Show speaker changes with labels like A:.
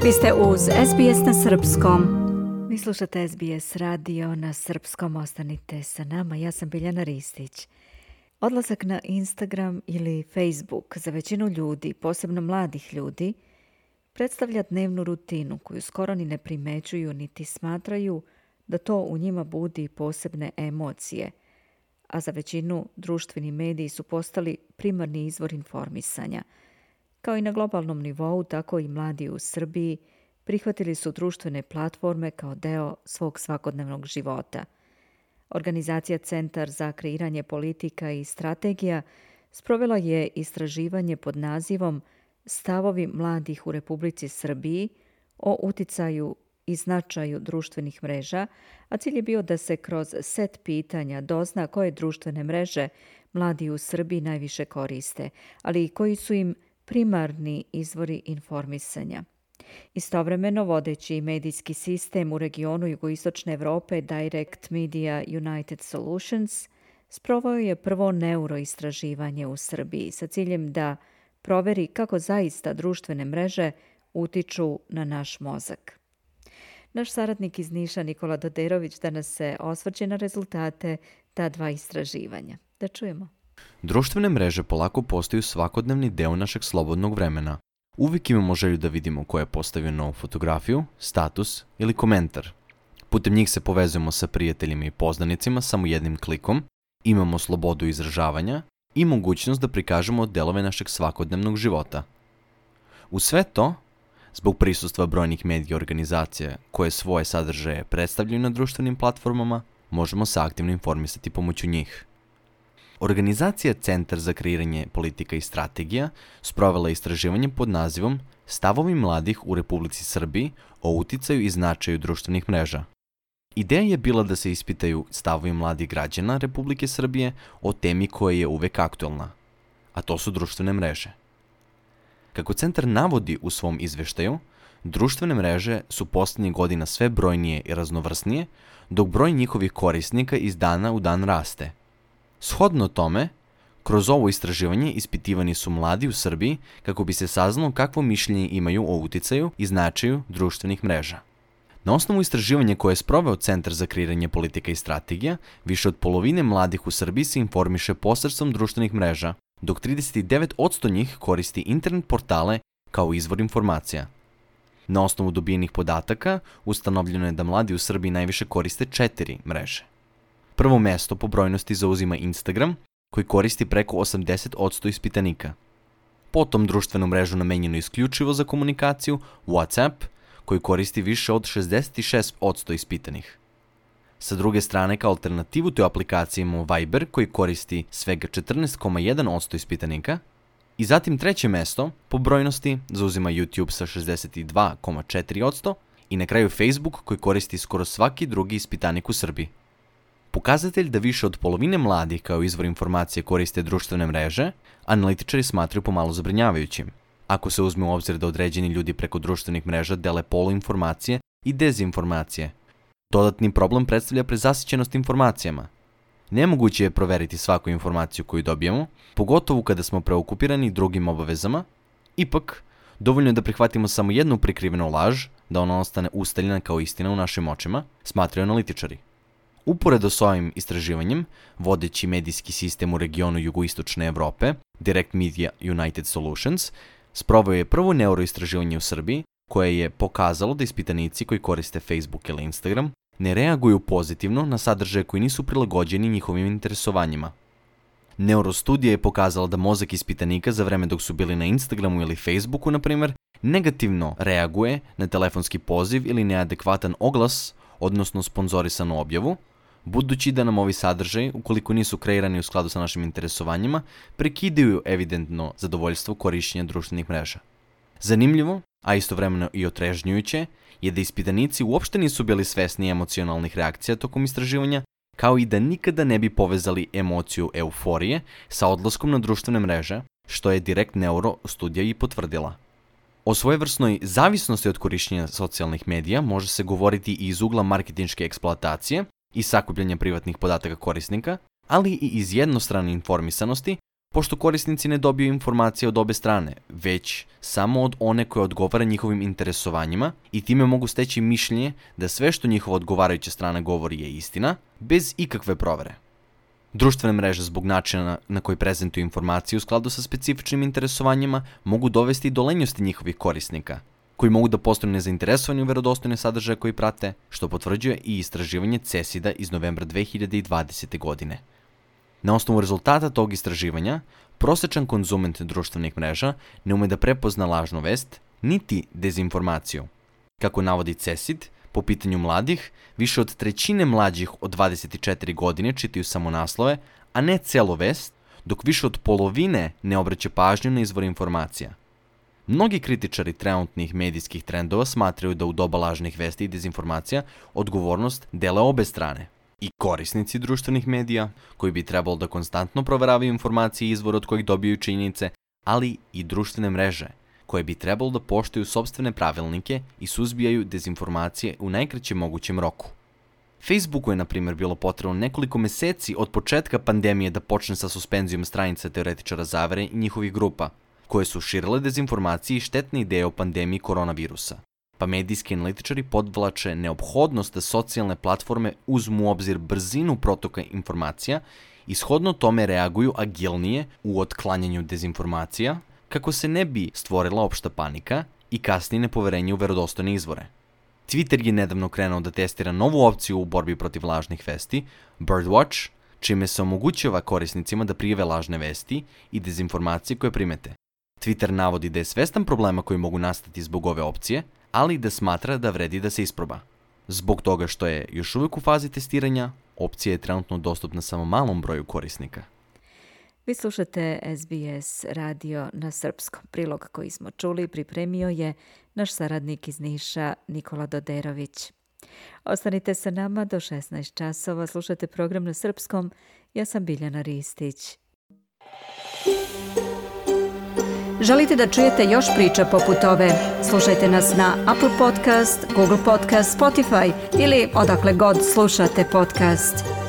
A: Vi ste uz SBS na srpskom. Vi slušate SBS radio na srpskom. Ostanite sa nama. Ja sam Biljana Ristić. Odlazak na Instagram ili Facebook za većinu ljudi, posebno mladih ljudi, predstavlja dnevnu rutinu koju skoro ni ne primećuju niti smatraju da to u njima budi posebne emocije, a za većinu društveni mediji su postali primarni izvor informisanja. Kao i na globalnom nivou, tako i mladi u Srbiji prihvatili su društvene platforme kao deo svog svakodnevnog života. Organizacija Centar za kreiranje politika i strategija sprovela je istraživanje pod nazivom Stavovi mladih u Republici Srbiji o uticaju i značaju društvenih mreža, a cilj je bio da se kroz set pitanja dozna koje društvene mreže mladi u Srbiji najviše koriste, ali i koji su im primarni izvori informisanja. Istovremeno, vodeći medijski sistem u regionu jugoistočne Evrope Direct Media United Solutions sproveo je prvo neuroistraživanje u Srbiji sa ciljem da proveri kako zaista društvene mreže utiču na naš mozak. Naš saradnik iz Niša Nikola Doderović danas se osvrće na rezultate ta dva istraživanja. Da čujemo.
B: Društvene mreže polako postaju svakodnevni deo našeg slobodnog vremena. Uvijek imamo želju da vidimo ko je postavio novu fotografiju, status ili komentar. Putem njih se povezujemo sa prijateljima i poznanicima samo jednim klikom, imamo slobodu izražavanja i mogućnost da prikažemo delove našeg svakodnevnog života. Uz sve to, zbog prisustva brojnih medija organizacija koje svoje sadržaje predstavljaju na društvenim platformama, možemo se aktivno informisati pomoću njih. Organizacija Centar za kreiranje politika i strategija sprovela istraživanje pod nazivom Stavovi mladih u Republici Srbiji o uticaju i značaju društvenih mreža. Ideja je bila da se ispitaju stavovi mladih građana Republike Srbije o temi koja je uvek aktuelna, a to su društvene mreže. Kako centar navodi u svom izveštaju, društvene mreže su posljednjih godina sve brojnije i raznovrsnije, dok broj njihovih korisnika iz dana u dan raste. Shodno tome, kroz ovo istraživanje ispitivani su mladi u Srbiji kako bi se saznalo kakvo mišljenje imaju o uticaju i značaju društvenih mreža. Na osnovu istraživanja koje je sproveo Centar za kreiranje politika i strategija, više od polovine mladih u Srbiji se informiše posredstvom društvenih mreža, dok 39% njih koristi internet portale kao izvor informacija. Na osnovu dobijenih podataka, ustanovljeno je da mladi u Srbiji najviše koriste 4 mreže. Prvo mesto po brojnosti zauzima Instagram, koji koristi preko 80% ispitanika. Potom društvenu mrežu namenjenu isključivo za komunikaciju, WhatsApp, koji koristi više od 66% ispitanih. Sa druge strane, kao alternativu toj aplikaciji imamo Viber, koji koristi svega 14,1% ispitanika. I zatim treće mesto po brojnosti zauzima YouTube sa 62,4% i na kraju Facebook, koji koristi skoro svaki drugi ispitanik u Srbiji. Pokazatelj da više od polovine mladih kao izvor informacije koriste društvene mreže, analitičari smatraju pomalo zabrinjavajućim. Ako se uzme u obzir da određeni ljudi preko društvenih mreža dele poluinformacije i dezinformacije. Dodatni problem predstavlja prezasićenost informacijama. Nemoguće je proveriti svaku informaciju koju dobijemo, pogotovo kada smo preokupirani drugim obavezama. Ipak, dovoljno je da prihvatimo samo jednu prikrivenu laž, da ona ostane ustaljena kao istina u našim očima, smatraju analitičari. Uporedo s ovim istraživanjem, vodeći medijski sistem u regionu jugoistočne Evrope, Direct Media United Solutions, sproveo je prvo neuroistraživanje u Srbiji, koje je pokazalo da ispitanici koji koriste Facebook ili Instagram ne reaguju pozitivno na sadržaje koji nisu prilagođeni njihovim interesovanjima. Neurostudija je pokazala da mozak ispitanika za vreme dok su bili na Instagramu ili Facebooku, na primjer, negativno reaguje na telefonski poziv ili neadekvatan oglas, odnosno sponzorisanu objavu, budući da nam ovi sadržaji, ukoliko nisu kreirani u skladu sa našim interesovanjima, prekidaju evidentno zadovoljstvo korišćenja društvenih mreža. Zanimljivo, a istovremeno i otrežnjujuće, je da ispitanici uopšte nisu bili svesni emocionalnih reakcija tokom istraživanja, kao i da nikada ne bi povezali emociju euforije sa odlaskom na društvene mreže, što je Direct Neuro studija i potvrdila. O svojevrsnoj zavisnosti od korišćenja socijalnih medija može se govoriti i iz ugla marketinške eksploatacije i sakupljanja privatnih podataka korisnika, ali i iz jednostrane informisanosti pošto korisnici ne dobiju informacije od obe strane, već samo od one koja odgovara njihovim interesovanjima i time mogu steći mišljenje da sve što njihova odgovarajuća strana govori je istina, bez ikakve provere. Društvene mreže zbog načina na koji prezentuju informacije u skladu sa specifičnim interesovanjima mogu dovesti do lenjosti njihovih korisnika, koji mogu da postanu nezainteresovani u verodostojne sadržaje koji prate, što potvrđuje i istraživanje CESID-a iz novembra 2020. godine. Na osnovu rezultata tog istraživanja, prosečan konzument društvenih mreža ne ume da prepozna lažnu vest, niti dezinformaciju. Kako navodi CESID, po pitanju mladih, više od trećine mlađih od 24 godine čitaju samo naslove, a ne celu vest, dok više od polovine ne obraća pažnju na izvor informacija. Mnogi kritičari trenutnih medijskih trendova smatraju da u doba lažnih vesti i dezinformacija odgovornost dele obe strane. I korisnici društvenih medija, koji bi trebalo da konstantno proveravaju informacije i izvor od kojih dobiju činjenice, ali i društvene mreže, koje bi trebalo da poštuju sopstvene pravilnike i suzbijaju dezinformacije u najkraćem mogućem roku. Facebooku je, na primjer, bilo potrebno nekoliko meseci od početka pandemije da počne sa suspenzijom stranica teoretičara zavere i njihovih grupa, koje su širile dezinformacije i štetne ideje o pandemiji koronavirusa. Pa medijski analitičari podvlače neophodnost da socijalne platforme uzmu u obzir brzinu protoka informacija i shodno tome reaguju agilnije u otklanjanju dezinformacija, kako se ne bi stvorila opšta panika i kasnije nepoverenje u verodostojne izvore. Twitter je nedavno krenuo da testira novu opciju u borbi protiv lažnih vesti, Birdwatch, čime se omogućava korisnicima da prijave lažne vesti i dezinformacije koje primete. Twitter navodi da je svestan problema koji mogu nastati zbog ove opcije, ali da smatra da vredi da se isproba. Zbog toga što je još uvijek u fazi testiranja, opcija je trenutno dostupna samo malom broju korisnika.
A: Vi slušate SBS radio na srpskom. Prilog koji smo čuli pripremio je naš saradnik iz Niša Nikola Doderović. Ostanite sa nama do 16 časova, slušate program na srpskom. Ja sam Biljana Ristić. Želite da čujete još priča poput ove? Slušajte nas na Apple Podcast, Google Podcast, Spotify ili odakle god slušate podcast.